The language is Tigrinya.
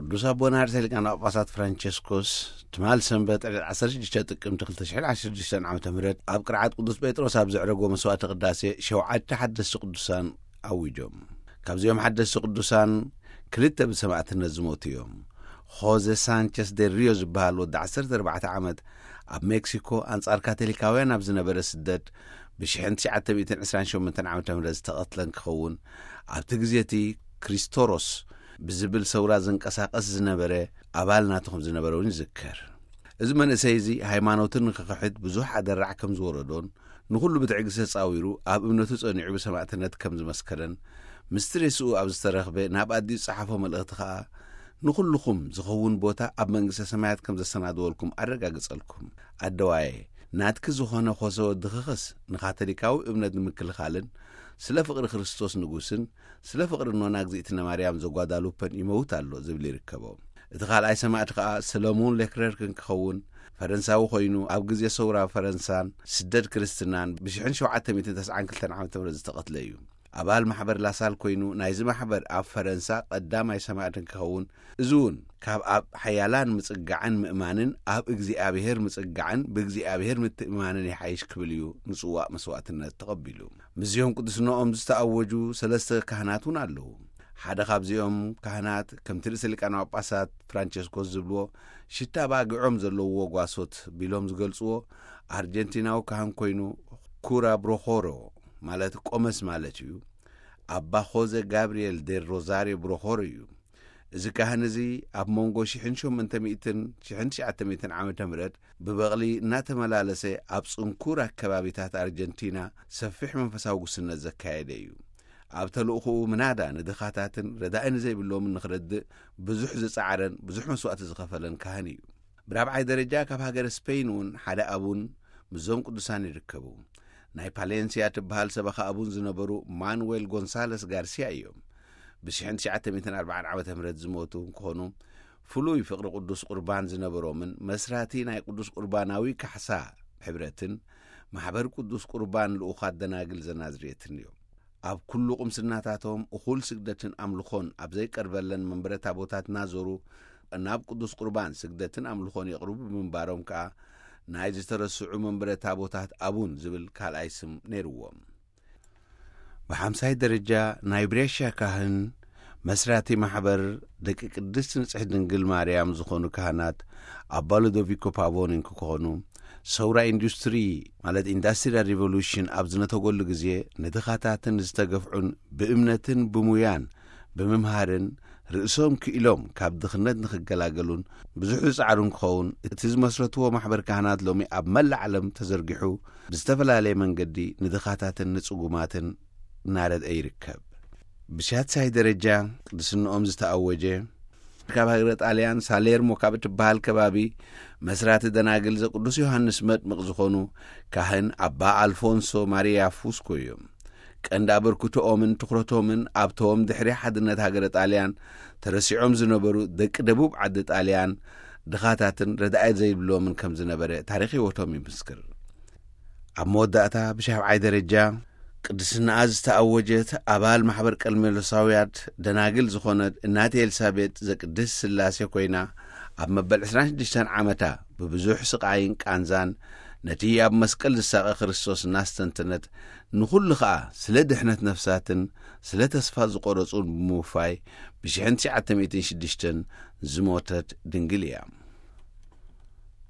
ቅዱስ ኣቦና ርእሰ ሊቃነ ጳጳሳት ፍራንቸስኮስ ትማል ሰንበት ዕለት ዓሰርተ ሽዱሽተ ጥቅምቲ ክልተ ሽሕን ዓሰርተ ሽዱሽተን ዓመተ ምህረት ኣብ ቅርዓት ቅዱስ ጴጥሮስ ኣብ ዘዕረጎ መስዋዕተ ቅዳሴ ሸውዓተ ሓደስቲ ቅዱሳን ኣዊጆም። ካብዚኦም ሓደስቲ ቅዱሳን ክልተ ብሰማዕትነት ዝሞቱ እዮም። ሆዜ ሳንቸስ ዴል ሪዮ ዝበሃል ወዲ ዓሰርተ ኣርባዕተ ዓመት ኣብ ሜክሲኮ ኣንጻር ካቶሊካውያን ኣብ ዝነበረ ስደት ብሽሕን ትሽዓተ ሚእትን ዕስራን ሸሞንተን ዓመተ ምህረት ዝተቐትለ እንክኸውን፣ ኣብቲ ግዜ እቲ ክሪስቶሮስ ብዝብል ሰውራ ዝንቀሳቐስ ዝነበረ ኣባል ናቱ ከም ዝነበረ እውን ይዝከር። እዚ መንእሰይ እዚ ሃይማኖትን ንክኽሕድ ብዙሕ ኣደራዕ ከም ዝወረዶን ንኹሉ ብትዕግስቲ ተጻዊሩ ኣብ እምነቱ ጸኒዑ ብሰማዕትነት ከም ዝመስከረን፣ ምስ ትሬስኡ ኣብ ዝተረኽበ ናብ ኣዲኡ ዝጸሓፎ መልእኽቲ ከኣ ንኹልኹም ዝኸውን ቦታ ኣብ መንግስተ ሰማያት ከም ዘሰናድወልኩም ኣረጋግጸልኩም። ኣደዋየ፣ ናትኪ ዝኾነ ኾሰ ወድኽኽስ ንካቶሊካዊ እምነት ንምክልኻልን ስለ ፍቕሪ ክርስቶስ ንጉስን ስለ ፍቕሪ ኖና እግዚኣብነ ማርያም ዘጓዳሉፐን ይመውት ኣሎ ዝብል ይርከቦ። እቲ ካልኣይ ሰማዕቲ ከኣ ሰለሞን ሌክለርክ እንክኸውን ፈረንሳዊ ኮይኑ ኣብ ግዜ ሰውራ ፈረንሳን ስደት ክርስትናን ብሽሕን ሸውዓተ ሚእትን ተስዓን ክልተን ዓመተ ምህረት ዝተቐትለ እዩ። ኣባል ማሕበር ላሳል ኮይኑ ናይዚ ማሕበር ኣብ ፈረንሳ ቀዳማይ ሰማዕቲ እንክኸውን፣ እዚ እውን ካብ ኣብ ሓያላን ምጽጋዕን ምእማንን ኣብ እግዚኣብሔር ምጽጋዕን ብእግዚኣብሔር ምትእማንን ይሓይሽ ክብል እዩ ንጽዋእ መስዋዕትነት ተቐቢሉ። ምስዚኦም ቅዱስነኦም ዝተኣወጁ ሰለስተ ካህናት እውን ኣለዉ። ሓደ ካብዚኦም ካህናት ከምቲ ርእሰ ሊቃነ ጳጳሳት ፍራንቸስኮስ ዝብልዎ ሽታ ባግዖም ዘለውዎ ጓሶት ቢሎም ዝገልጽዎ ኣርጀንቲናዊ ካህን ኮይኑ ኩራ ብሮኾሮ ማለት ቆመስ ማለት እዩ። ኣባ ኾዘ ጋብርኤል ዴል ሮዛርዮ ብሮኾሮ እዩ። እዚ ካህን እዚ ኣብ መንጎ ሽሕን ሸሞንተ ሚእትን ሽሕን ትሽዓተ ሚእትን ዓመተ ምህረት ብበቕሊ እናተመላለሰ ኣብ ጽንኩር ኣከባቢታት ኣርጀንቲና ሰፊሕ መንፈሳዊ ጉስነት ዘካየደ እዩ። ኣብ ተልእኾኡ ምናዳ ንድኻታትን ረዳኢ ንዘይብሎምን ንኽረድእ ብዙሕ ዝጸዓረን ብዙሕ መስዋእቲ ዝኸፈለን ካህን እዩ። ብራብዓይ ደረጃ ካብ ሃገረ ስፔን እውን ሓደ ኣቡን ምስዞም ቅዱሳን ይርከቡ። ናይ ፓሌንሲያ ትበሃል ሰበኻ ኣቡን ዝነበሩ ማኑዌል ጎንሳለስ ጋርሲያ እዮም። ብ ትሽዓተ ሚእትን ኣርባዓን ዓመተ ምህረት ዝሞቱ እንክኾኑ፣ ፍሉይ ፍቕሪ ቅዱስ ቁርባን ዝነበሮምን መስራቲ ናይ ቅዱስ ቁርባናዊ ካሕሳ ሕብረትን ማሕበር ቅዱስ ቁርባን ልኡኻት ደናግል ዘናዝሬትን እዮም። ኣብ ኩሉ ቁምስናታቶም እኹል ስግደትን ኣምልኾን ኣብ ዘይቀርበለን መንበረ ታቦታት እናዞሩ ናብ ቅዱስ ቁርባን ስግደትን ኣምልኾን የቕርቡ ብምንባሮም ከኣ ናይ ዝተረስዑ መንበረ ታቦታት ኣቡን ዝብል ካልኣይ ስም ነይርዎም። ብሓምሳይ ደረጃ ናይ ብሬሻ ካህን መስራቲ ማሕበር ደቂ ቅድስት ንጽሕት ድንግል ማርያም ዝኾኑ ካህናት ኣባ ሉዶቪኮ ፓቮኒ እንክኾኑ፣ ሰውራ ኢንዱስትሪ ማለት ኢንዳስትሪያል ሪቮሉሽን ኣብ ዝነተገሉ ግዜ ንድኻታትን ዝተገፍዑን ብእምነትን ብሙያን ብምምሃርን ርእሶም ክኢሎም ካብ ድኽነት ንኽገላገሉን ብዙሕ ዝጸዓሩ እንክኸውን፣ እቲ ዝመስረትዎ ማሕበር ካህናት ሎሚ ኣብ መላእ ዓለም ተዘርጊሑ ብዝተፈላለየ መንገዲ ንድኻታትን ንጽጉማትን እናረድአ ይርከብ። ብሻድሳይ ደረጃ ቅድስንኦም ዝተኣወጀ ካብ ሃገረ ጣልያን ሳሌርሞ ካብ እትበሃል ከባቢ መስራቲ ደናግል ዘቅዱስ ዮሃንስ መጥምቕ ዝኾኑ ካህን ኣባ ኣልፎንሶ ማሪያ ፉስኮ እዮም። ቀንዲ ኣበርክቶኦምን ትኹረቶምን ኣብቶም ድሕሪ ሓድነት ሃገረ ጣልያን ተረሲዖም ዝነበሩ ደቂ ደቡብ ዓዲ ጣልያን ድኻታትን ረዳኢ ዘይብሎምን ከም ዝነበረ ታሪኽ ህይወቶም ይምስክር። ኣብ መወዳእታ ብሻብዓይ ደረጃ ቅድስናኣ ዝተኣወጀት ኣባል ማሕበር ቀርሜሎሳውያት ደናግል ዝኾነት እናቴ ኤልሳቤጥ ዘቅድስ ስላሴ ኮይና፣ ኣብ መበል ዕስራን ሽዱሽተን ዓመታ ብብዙሕ ስቃይን ቃንዛን ነቲ ኣብ መስቀል ዝሳቐ ክርስቶስ እናስተንተነት፣ ንኹሉ ኸኣ ስለ ድሕነት ነፍሳትን ስለ ተስፋ ዝቖረጹን ብምውፋይ ብሽሕን ትሽዓተ ሚእትን ሽዱሽተን ዝሞተት ድንግል እያ።